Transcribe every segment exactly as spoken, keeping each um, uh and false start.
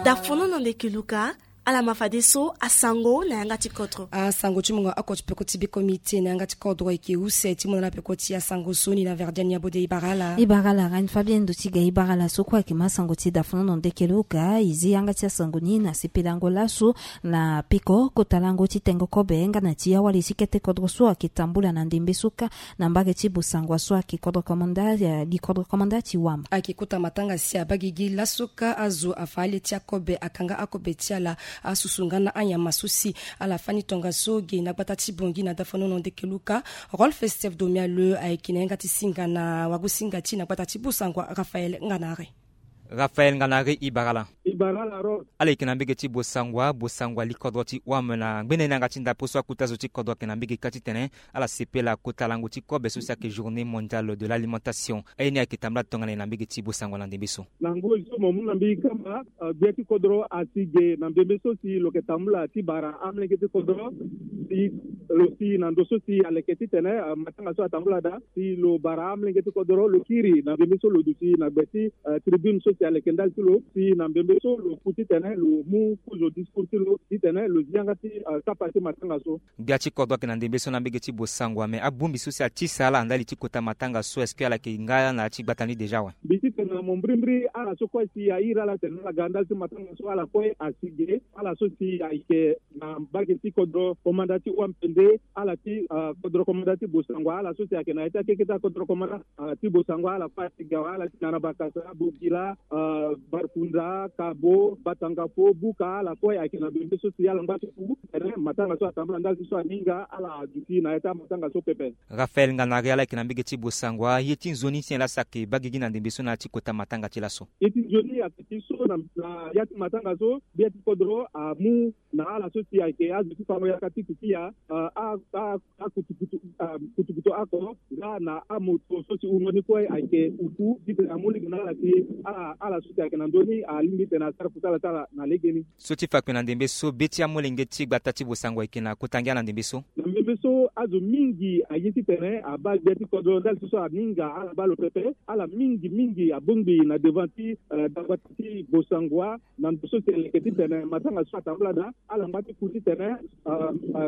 Dafono na ndeke luka. Ala ma fadeso asango na yanga ti kodro. Asango ti mungo oko ti peko ti biko miti na yanga ti kodro eke use ti mona na peko ti asango so ni na verdian ya bode ibarala. Ibarala rani fabien ndo ti ga ibarala so kue eke ma sango ti dafono na ndeke luka izi yanga ti asango ni na sepelango laso na peko kota lango ti tengo kobe nga na ti awali ti kete kodro so ake tambula na ndembe so kâ na mbage ti bosangwa so ake kodro komanda li kodro komanda ti wam. Ake kota matanga si abagigi laso kâ azo afa ale ti akobe akanga akobe ti ala. Asusu nga na anyama so si ala fani tongaso ge na gbata ti bongi na dafono na ndeke luka. Rolf steph domiale ayeke na yanga ti singa na wagosinga ti na gbata ti bosangwa raphael nganare. Raphael nganare ibarala. Ibarala rol. Ala yeke na mbege ti bosangwa bosangwa likodro ti wam na ngbene na yanga ti ndapo so akuta zo ti kodro ayeke na mbege kâ titene ala sepela kota lango ti kobe so si ayeke journée mondiale de l'alimentation. Aye ni ayeke tambula tongana e na mbege ti bosangwa na ndembe so. Na ngoi so mo mu na mbege kama gbia ti kodro asi ge na mbembe so si lo yeke tambula ti bara amlenge ti kodro si lo si na ndo so si aleke titene matanga so atambula daa si lo bara amlenge ti kodro lo kiri na mbembe so lo duti na gbe ti tribune so si aleke ndali ti lo si na mbembe so lo ku titene lo mu kozo discours ti lo titene lo zi yanga ti kapa ti matanga so. Gbia ti kodro ayeke na ndembe so na mbege ti bosangwa me abongbi so si atisa ala na ndali ti kota matanga so est-ce que ala yeke nga na ya ti gbata ni déjà awe? Mbi titene na mo mbirimbiri ala so kue si airi ala tene ala ga na ndali ti matanga so ala kue asi ge ala so si ayeke na mbage ti kodro komanda ti wampende ala ti kodro komanda ti bosangwa ala so si ayeke na ya ti akeke ti akodro komanda ti bosangwa ala kue asi ge awe ala ti na na bakasa bogila barkunda kabo batangafo buka ala kue ayeke na bembe so si ala ngba ti ku tene matanga so atambula ndali ti so aninga ala aduti na ya ti amatanga so pepe. Raphael nganari ala yeke na mbege ti bosangwa ye ti nzoni si nyen laa si ayeke bagigi na ndembe so na ya ti kota matanga ti laso? Ye ti nzoni ayeke ti so na ya ti matanga so gbia ti kodro amu na ala so si ayeke azo ti fango yaka ti kukia akutukutu akutukutu oko nga na amoto so si wungo ni kue ayeke uku titene amu lege na ala si ala so si ayeke na ndö ni alingbi titene asara kusala ti ala na legeni. So ti fa kue na ndembe so be ti amolenge ti gbata ti bosangwa ayeke na kota ngia na ndembe so. Na ndembe so azo mingi aye titene abaa gbia ti kodro ndali so so aninga ala baa lo pepe ala mingi mingi abongbi na devant ti dagbata ti bosangwa na ndo so si aleke titene matanga so atambula daa ala ngba ti ku titene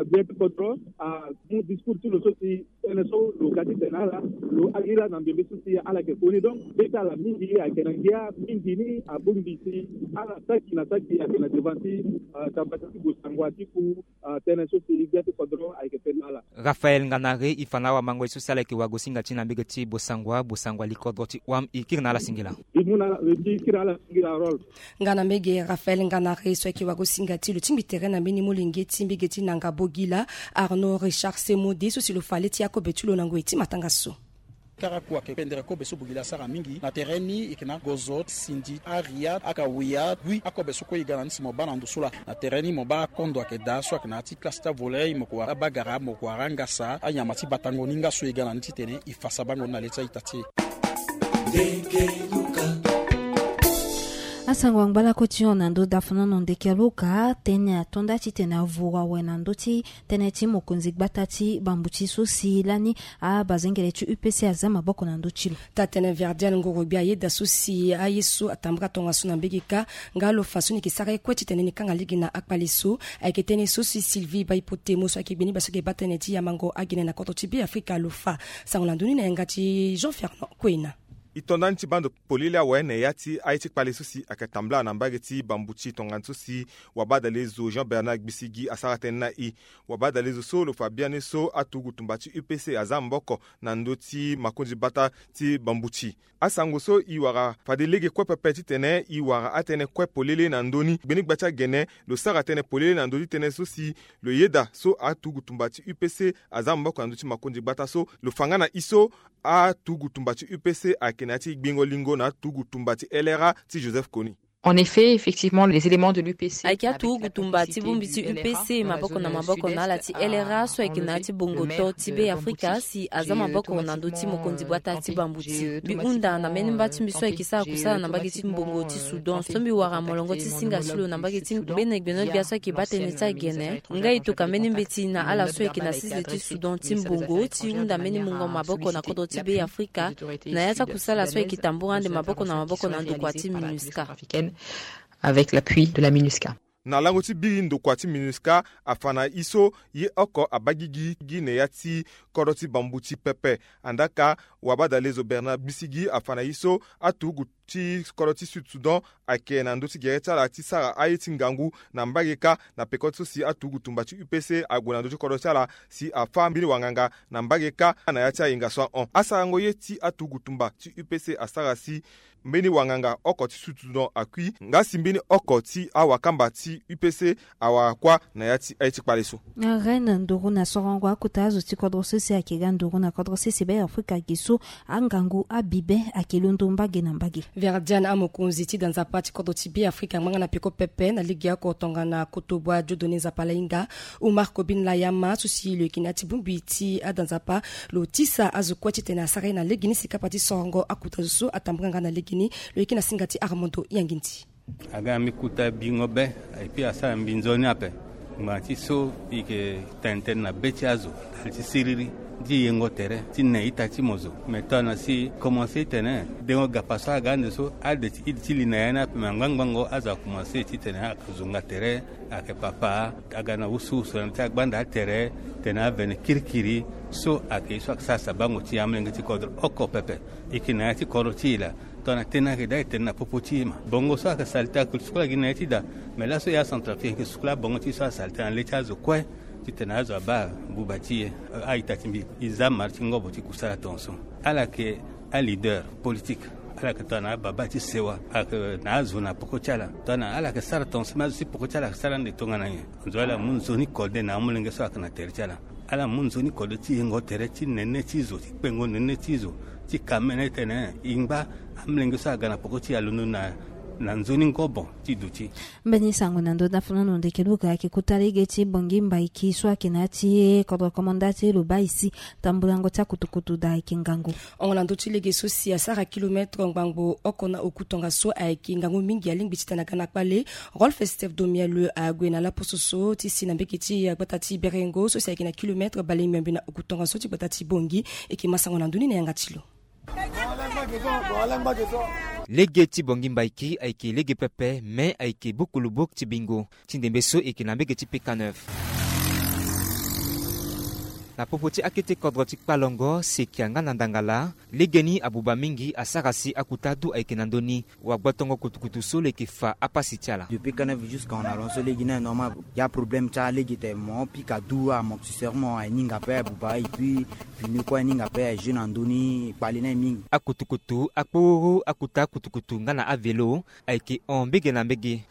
gbia ti kodro amu discours ti lo so si tënë so lo ga titene ala lo alira na mbembe so si ala yeke koni donc be ti ala mingi ayeke na ngia mingi ni abongbi si ala saki na saki ayeke na devant ti dagbata ti bosangwa ti ku tënë so si gbia ti kodro ayeke tene na ala. Raphael nganare e fa na awamango ye so si ala yeke wagosinga ti na mbege ti bosangwa bosangwa likodro ti wam e kiri na ala singila. E mu na ala e kiri na ala singila rol. Nga na mbege raphael nganare so ayeke wagosinga ti lo tingbi tere na mbeni molenge ti mbege ti nanga bogila arnaud richard semode so si lo fa le ti akobe ti lo na ngoi ti matanga so. Kara kua ke pendere kobe so bogila asara mingi na tere ni e ke na gozo sindi aria akawia gui akobe so kue e ga na ni si mo baa na ndo so laa na tere ni mo baa akondo ayeke daa so ayeke na ya ti classe ti avolet mo ko wara abagara mo ko wara angasa anyama ti batango ni nga so e ga na ni titene e fa sabango ni na le ti a-ita ti e. Asango angba lakue ti hon na ndö dafonono ndeke aluka tënë ato nda titene avuru awe na ndö ti tënë ti mokonzi gbata ti bambuti so si lani abazengele ti upc aza maboko na ndö ti lo. Taa-tënë verdial ngoro-gbia ayeda so si aye so atambaka tongaso na mbege kâ nga lo fa so ni yeke sara ye kue titene ni kanga lege na akpale so. Ayeke tënë so si sylvie baipotemo so ayeke gbe ni baa so ayeke baa tënë ti yamango agene na kodro ti be afrika lo fa. Sango na ndö ni na yanga ti jean fernand kuena. E to nda ni ti baa ndo polele awe na ya ti aye ti kpale so si ayeke tambula na mbage ti bambuti tongana so si wabadale zo jean bernard gbisigi asara tënë na e. Wabadale zo so lo fa biani so aturugu tumba ti upc aza maboko na ndö ti makonzi gbata ti bambuti. Asango so e wara fade lege kue pepe titene e wara atënë kue polele na ndö ni gbeni gba ti agene lo sara tënë polele na ndö ti tënë so si lo yeda so aturugu tumba ti upc aza maboko na ndö ti makonzi gbata so lo fa nga na e so aturugu tumba ti upc ayeke na ya ti gbingo lingo na aturugu tumba ti lra ti joseph kony. En effet effectivement les éléments de l'upc ayeke aturugu tumba ti bongbi ti upc maboko na maboko na ala ti lra so ayeke na ya ti bongo to ti be afrika si aza maboko na ndö ti mokonzi gbata ti bambuti mbi hunda na mbeni mba ti mbi so ayeke sara kusala na mbage ti mbongo ti soudan so mbi wara molongo ti singa ti lo na mbage ti gbene gbeno-gbia so ayeke baa tënë ti agene. Nga e toka mbeni mbeti na ala so ayeke na sese ti soudan ti mbongo ti hunda mbeni mungo maboko na kodro ti be afrika na ya ti akusala so ayeke tambura ande maboko na maboko na ndokua ti minusca. Avec l'appui de la minusca. Na lango ti biri ndokua ti minusca afa na e so ye oko abagigi gi na ya ti kodro ti bambu ti pepe. Andaka, wabadalezo Bernard Bisigi afa na e so aturugu ti kodro ti Sud Soudan ayeke na ndö ti gere ti ala ti sara aye ti ngangu na mbage kâ na peko so si aturugu tumba ti U P C ague na ndö ti kodro ti ala si afâ mbeni wanganga na mbage kâ na ya ti ayenga so ahon. Asarango ye ti aturugu tumba ti U P C asara si mbeni wanganga oko ti Sud Soudan akui, nga si mbeni oko ti awakamba ti U P C awara kuâ na ya ti aye ti kpale so. Reine nduru na sorongo akota azo ti kodro sese ayeke ga nduru na kodro sese Be Afrika ge so angangu abibe ayeke londo mbage na mbage. Verdiane amokonzi ti da nzapa ti kodro ti Be Afrika angba nga na peko pepe na lege oko tongana Kotobua Dieudonné Nzapalainga, Umar Kobin Layama so si lo yeke na ya ti bongbi ti ada nzapa, lo tisa azo kue titene asara ye na legeni si kapa ti sorongo akuta zo so atambula nga na legeni. Lo yeke na singa ti Armando Yangindi. Aga mbi kuta bingo be, et puis asara mbi nzoni ape. Ngbanga ti so e yeke tene tënë na be ti azo ndali ti siriri ti yengo tere ti ne ita ti mo zo. Me tongana si komanse titene dengo gapa so aga ande so ade ti ide ti li na ya ni ape, me angbangbango azo akomanse titene ayeke zonga tere, ayeke papa aga na wusuwusu na ti agbanda atere, tene avene kirikiri. So ayeke ye so ayeke sara sabango ti amolenge ti kodro oko pepe. E yeke na ya ti kodro ti e laa. Tongana tënë ayeke daa e tene na popo ti e ma bongo so ayeke salite ayeke sukula gi na ye ti daa. Me laso e aCentrafrique e yeke sukula bongo ti e so asalite na le ti azo kue titene azo abaa buba ti e. A-ita ti mbi, e za mari ti ngobo ti kusala tongaso. Ala yeke aleader politique. Ala yeke tongana ababa ti sewa. Ala yeke na azo na poko ti ala. Tongana ala yeke sara tongaso me azo ti poko ti ala ayeke sara ande tongana nyen? Nzoni ala mu nzoni kode na amolenge so ayeke na tere ti ala. Ala mu nzoni kode ti yengo tere ti nene ti zo, ti kpengo nene ti zo, ti ka mene tene e ngba amolenge so aga na poko ti e alondo na, na nzoni ngobo ti duti. Mbeni sango na ndö dafulano ndeke luka ayeke kota lege ti Bongi Mbaiki so ayeke na ya ti kodro komanda ti Lobaisi. Tambulango ti akutukutu daa ayeke ngangu. Hongo na ndö ti lege so si asara kilometre ngbangbo oko na oku tongaso ayeke ngangu mingi alingbi titene aga na kpale. Rolf Steve Domiel ague na laposo so ti si na mbege ti gbata ti Berengo so si ayeke na kilometre bale miombe na oku tongaso ti gbata ti Bongi. E yeke ma sango na ndö ni na yanga ti lo. Lege ti Bongi Mbaiki ayeke lege pepe me ayeke buku lubok ti bingo. Ti ndembe so e yeke na mbege ti P K neuf. Na popo ti akete kodro ti Kpalongo, Sekia nga na Ndangala, legeni abuba mingi asara si akuta adu ayeke na ndö ni. Wagbotongo kutukutu so lo yeke fa apasi ti ala. Depuis P K neuf jusqu'à on alon so lege ni aye normal. Ya problème ti alege tene mo pika du amortisseur mo aye ni hinga ape abuba et puis pneu kue aye ni hinga ape aye jeu na ndö ni kpale ni aye mingi. Akutukutu, akpororo, akuta akutukutu nga na avelo ayeke hon mbege na mbege.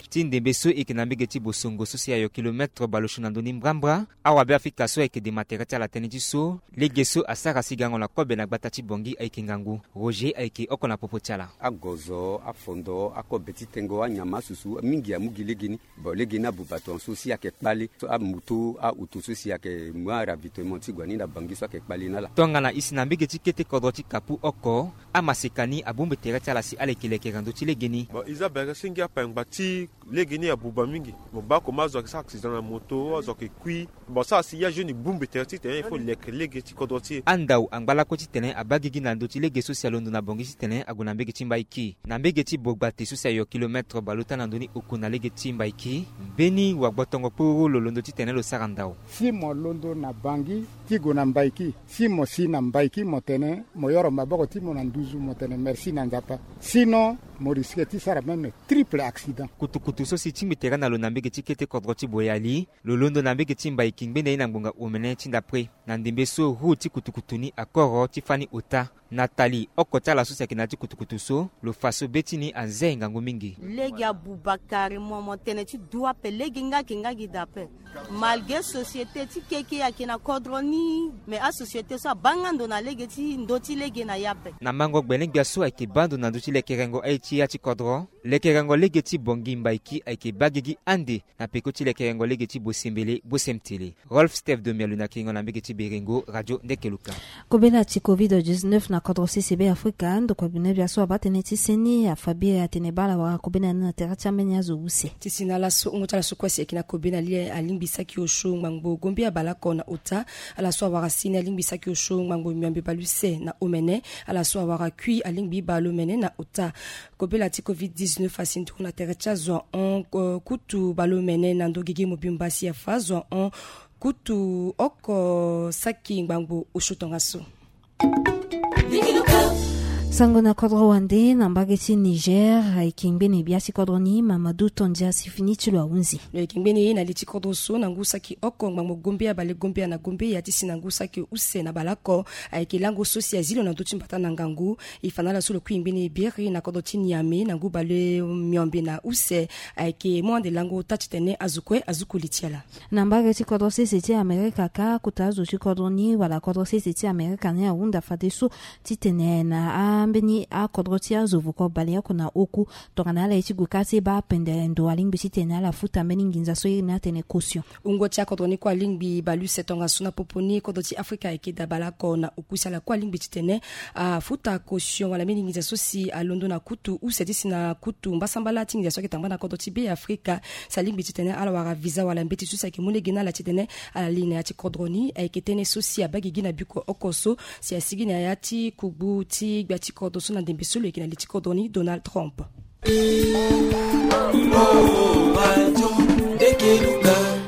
Ti ndembe so e yeke na mbege ti Bosongo so si ayo kilometre bale osio na ndö ni mbrambra. Awabe Afrika so ayeke dema tere ti ala tënë ti so lege so asara si gango na kobe na gbata ti Bongi ayeke ngangu. Roger ayeke oko na popo ti ala. Agozo, afondo, akobe ti tengo, anyama, asusu mingi amu gi legeni. Bon, legeni abuba tongaso si ayeke kpale so amoto auto so si ayeke mu aravitaillement ti gue ni na Bangi so ayeke kpale na ala. Tongana e si na mbege ti kete kodro ti Kapu oko, amaseka ni abongbi tere ti ala si ala yeke lekere na ndö ti legeni. Bon, Isabelle, senge ape ngba ti legeni abuba mingi. Mo baa comment azo ayeke sara accident na moto, azo ayeke kui. Bon, sara si ya jeune bongbi tere titene il faut leke lege ti kodro ti e. Andau angba lakue titene abaa gigi na ndö ti lege so si alondo na Bongi titene ague na mbege ti Mbaiki. Na mbege ti Bogbate so si ayo kilometre bale ota na ndö ni oku na lege ti Mbaiki, mbeni wagbotongo kpororo lo londo titene lo sara ndau. Si mo londo na Bangi ti gue na Mbaiki, si mo si na Mbaiki mo tene mo yoro maboko ti mo na nduzu mo tene merci na Nzapa. Sinon mo risque ti sara même triple accident. Kutukutu so si tingbi tere na lo na mbege ti kete kodro ti Boyali, lo londo na mbege ti Mbaiki ngbene ye na ngbonga omene ti ndapre. Na ndembe so roue ti kutukutu ni akoro ti fani ota. Nathalie, oko ti ala so si ayeke na ya ti kutukutu so, lo fa so be ti ni anze ngangu mingi. Lege abuba carrément, mo tene ti du ape, lege nga ayeke nga gi daa ape. Malgré société ti keke ayeke na kodro ni, mais asociété so abaa nga ndo na lege ti ndö ti lege na ya ape. Na mango gbele-ngbia so ayeke baa ndo na ndö ti lekerengo aye ti ya ti kodro, lekerengo lege ti Bongi Mbaiki ayeke baa gigi ande na peko ti lekerengo lege ti Bosembele, Bosemtele. Rolf Steve Domialu na kiringo na mbege ti Berengo, Radio Ndekeluka. Kobela ti covid dix-neuf na Kodro sese Be Afrika, ndokua bino bia so abaa tënë ti seni afa biri atene baa ala wara kobe na ni na tere ti ambeni azo use. Ti si na laso, wungo ti ala so kue si ayeke na kobe na li alingbi saki osio ngbangbo gombe abaleoko na ota. Ala so awara seni alingbi saki osio ngbangbo miombe baleuse na omene. Ala so awara kui alingbi baleomene na ota. Kobela ti covid dix-neuf asi nduru na tere ti azo ahon, eh, kutu baleomene na ndo gigi mobimba si afa azo ahon kutu oko saki ngbangbo osio tongaso. Sango na kodro wande na mbage ti Niger, ayeke ngbene bia ti kodro ni Mamadou Tondia si fini ti lo ahunzi. Lo yeke ngbene ye na li ti kodro so na ngu saki oko ngbangbo gombe abale gombe ana gombe ya ti si na ngu saki use na baleoko. Ayeke lango so si azi lo na ndö ti mbata na ngangu. E fa na ala so lo kui ngbene biri na kodro ti Niamey na ngu bale miombe na use. Ayeke mu ande lango ota titene azo kue azuku li ti ala. Na mbage ti kodro sese ti Amerika kâ, kota azo ti kodro ni wala kodro sese ti Amerika ni ahunda fadeso titene na ambeni akodro ti azo vuko baleoko na oku tongana ala ye ti gue kâ ti baa pendere ndo alingbi titene ala futa mbeni nginza so iri ni atene caution. Wungo ti akodro ni kue alingbi baleuse tongaso na popo ni kodro ti Afrika ayeke daa baleoko na oku si ala kue alingbi titene afuta caution wala mbeni nginza so si alondo na kutu use ti si na kutu mbasambala ti nginza so ayeke tambana kodro ti Be Afrika. Si alingbi titene ala wara visa wala mbeti so si ayeke mu lege na ala titene ala li na ya ti kodro ni. Ayeke tënë so si abaa gigi na biko oko so si asigi na ya ti kugbu ti gbia ti kodro so na ndembe so lo yeke na li ti kodro ni Donald Trump.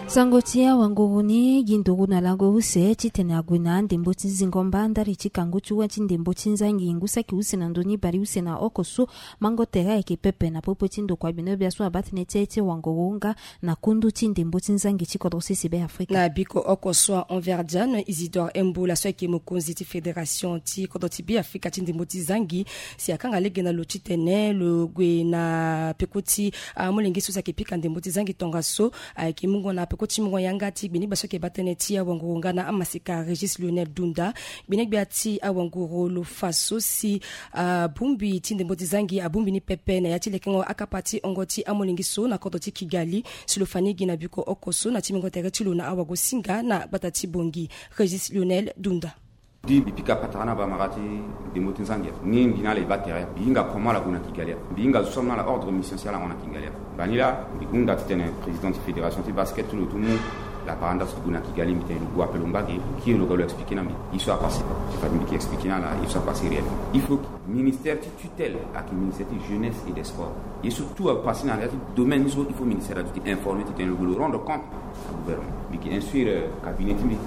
Sango ti awanguru ni gi nduru na lango use titene ague na andembo ti zingo mba ndali ti kangu ti wa ti ndembo ti nzangi ngu saki use na ndö ni baleuse na oko so mango tere ayeke pepe na popo ti ndokua bino bia so abaa tënë ti aye ti wanguru nga na kundu ti ndembo ti nzangi ti kodro sese Be Afrika. Na biko oko so ahon Verdiane Isidore Emboula so ayeke mokonzi ti fédération ti kodro ti Be Afrika ti ndembo ti zangi si akanga lege na lo titene lo gue na peko ti amolenge so si ayeke pika ndembo ti zangi tongaso. Ayeke mungo na peko ti mungo yanga ti gbinigbia so ayeke baa tënë ti awanguru nga na amaseka Régis Lionel Dunda. Gbinigbia ti awanguru lo fa so si abongbi ti ndembo ti zangi abongbi ni pepe na ya ti lekengo akapa ti hongo ti amolenge so na kodro ti Kigali. Si lo fa ni gi na biko oko so na ti mingo tere ti lo na awagosinga na gbata ti Bongi. Régis Lionel Dunda. Di mbi pika patara na bamara ti ndembo ti nzangi ni mbi na ala e baa tere ya. Mbi hinga comment ala gue na Kigali ya. Mbi hinga zo so amu na ala ordre mission si ala hon na Kigali ya. Mbani laa mbi hunda titene président ti fédération ti basket ti lo ti mu lapara nda so ti gue na Kigali. Mbi tene lo gue ape lo ngba ge. Kiri lo ga lo expliqué na mbi ye so apassé. Ti fade mbi yeke expliqué na ala ye so apassé réellement. Il faut que ministère ti tutelle ayeke ministère ti jeunesse et des sports. Ye so tout apassé na ya ti domaine ni so il faut ministère adu ti informé titene lo gue lo rendre compte na gouvernement. Mbi yeke instruire cabinet ti mbi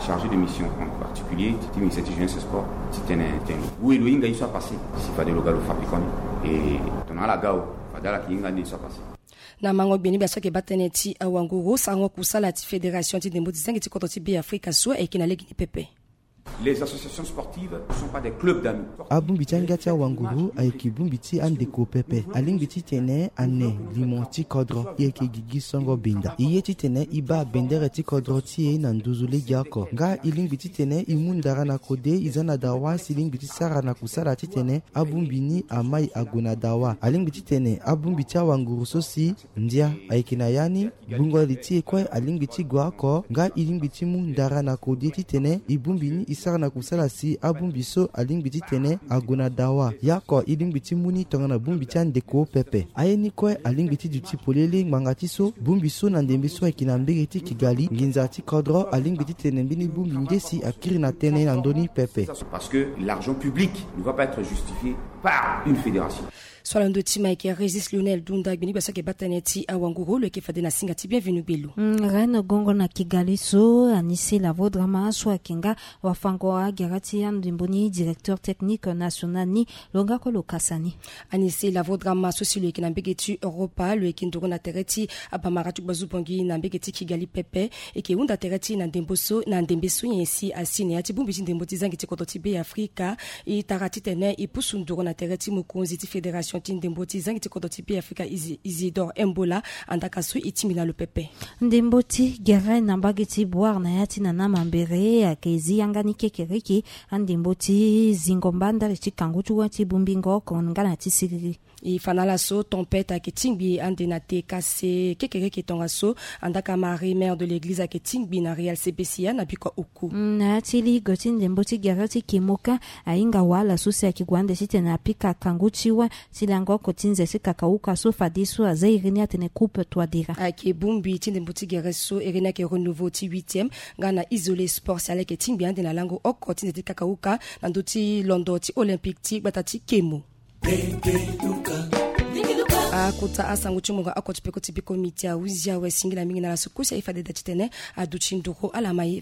chargé de mission en particulier ti ministère ti jeunesse et sport titene tene lo gue lo hinga ye so apassé si fade lo ga lo fa pekoni. E tongana ala ga awe fade ala yeke hinga nde ye so apassé. Na mango gbinigbia so ayeke baa tënë ti awanguru sarango kusala ti fédération ti ndembo ti zangi ti kodro ti Be Afrika so ayeke na lege ni pepe. Les associations sportives ne sont pas des clubs d'amis. Abongbi ti angia ti awanguru ayeke bongbi ti andeko pepe. Alingbi titene ane limo ti kodro e yeke gigi songo benda. E ye titene e baa bendere ti kodro ti e na nduzu legeoko. Nga e lingbi titene e mu ndara na kode e za na dawa si e lingbi ti sara na kusala titene abongbi ni amai ague na dawa. Alingbi titene abongbi ti awanguru so si ndia ayeke na ya ni. Gbungo li ti e kue alingbi ti gue oko nga e lingbi ti mu ndara na kode titene e bongbi ni e sara na kusala si abongbi so alingbi titene ague na dawa. Ya oko e lingbi ti mu ni tongana bongbi ti andeko pepe. Aye ni kue alingbi ti duti polele ngbanga ti so bongbi so na ndembe so ayeke na mbege ti Kigali nginza ti kodro alingbi titene mbeni bongbi nde si akiri na tënë na ndö ni pepe. Parce que l'argent public ne va pas être justifié par une fédération. So ala ndo ti ma ayeke Régis Lionel Dunda gbinigbia so ayeke baa tënë ti awanguru lo yeke fade na singa ti Bienvenu Gbelo. Mm, Reine Gongo na Kigali so Anissé Lavodrama so ayeke nga wafango agere ti andembo ni directeur technique national ni lo nga kue lo kasa ni. Anissé Lavodrama so si lo yeke na mbege ti Europa lo yeke nduru na tere ti abamara ti gbazu Bongi na mbege ti Kigali pepe. E yeke hunda tere ti e na ndembo so na ndembe so nyen si asi na ya ti bongbi ti ndembo ti zangi ti kodro ti Be Afrika. E tara titene e pusu nduru na tere ti mokonzi ti fédération ti ndembo ti zangi ti kodro ti Beafrika, Isidore Embola, andaka so e tingbi na lo pepe. Ndembo ti gere na mbage ti Bouar na ya ti Nana Mambéré ayeke zi yanga ni kekereke andembo ti zingo mba ndali ti kangu ti wâ ti bongbingo oko nga na ti siriri. E fa na ala so tempête ayeke tingbi ande na te kase kekereke tongaso, andaka Marie, mère de l'église, ayeke tingbi na Real C B C A na biko oku. Na ya ti ligo ti ndembo ti gere ti Kemoka, ahinga wala so si ayeke gue ande titene apika kangu ti wâ ti lango oko ti nze ti kakauka so fadeso aza iri ni atene coupe Touadéra. Ayeke bongbi ti ndembo ti gere so iri ni ayeke renouveau ti huitième nga na Isolé Sport si ala yeke tingbi ande na lango oko ti nze ti kakauka na ndö ti londo ti Olympique ti gbata ti Kemo. Akota asango ti mungo oko ti peko ti biko miti ahuzi awe, singila mingi na ala so kusi aye fade da titene aduti nduru ala ma ye.